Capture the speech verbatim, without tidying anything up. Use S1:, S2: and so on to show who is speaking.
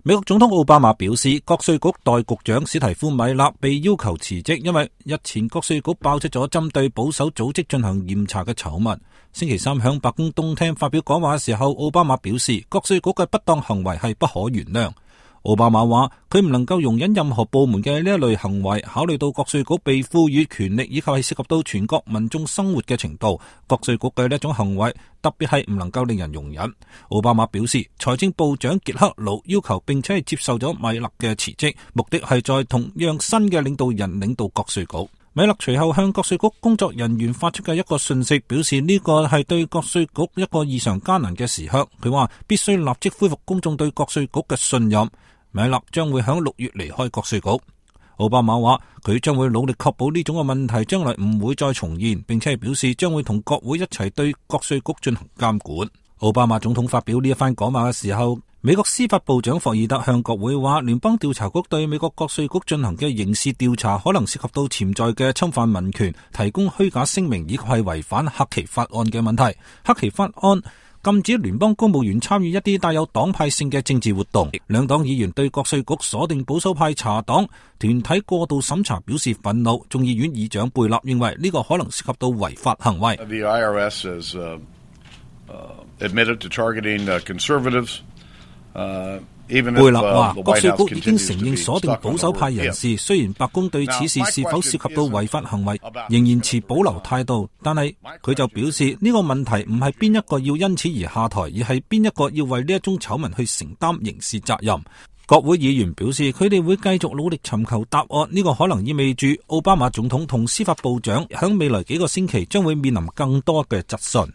S1: 美國總統奧巴馬表示，國稅局代局長史提夫米勒被要求辭職，因為日前國稅局爆出咗針對保守組織進行嚴查嘅醜聞。星期三響白宮東廳發表講話嘅時候，奧巴馬表示，國稅局嘅不當行為係不可原諒。奧巴馬話佢唔能夠容忍任何部門嘅呢一類行為，考慮到國稅局被賦予權力以及係涉及到全國民眾生活嘅程度，國稅局嘅呢一種行為特別係唔能夠令人容忍。奧巴馬表示，財政部長傑克魯要求並且係接受咗米勒嘅辭職，目的係在同樣新嘅領導人領導國稅局。米勒隨後向國稅局工作人員發出嘅一個訊息，表示呢個係對國稅局一個異常艱難嘅時刻。佢話必須立即恢復公眾對國稅局嘅信任。米勒將會響六月離開國稅局。奧巴馬話佢將會努力確保呢種嘅問題將來唔會再重現，並且係表示將會同國會一齊對國稅局進行監管。奧巴馬總統發表呢一番講話嘅時候，美國司法部長霍爾德向國會話，聯邦調查局對美國國稅局進行嘅刑事調查可能涉及到潛在嘅侵犯民權、提供虛假聲明以及係違反克奇法案嘅問題。克奇法案禁止聯邦公務員參與一啲帶有黨派性嘅政治活動。兩黨議員對國稅局鎖定保守派查黨團體過度審查表示憤怒。眾議院議長貝納認為呢個可能涉及到違法行為。
S2: The I R S has, uh, uh, admitted to targeting, uh, conservatives. Uh, 貝納話，國稅局已經承認鎖定保守派人士，雖然白宮對此事是否涉及到違法行為仍然持保留態度，但係佢就表示呢個問題唔係邊一個要因此而下台，而係邊一個要為呢一宗醜聞去承擔刑事責任。國會議員表示佢哋會繼續努力尋求答案，呢個可能意味住奧巴馬總統同司法部長響未來幾個星期將會面臨更多嘅質詢。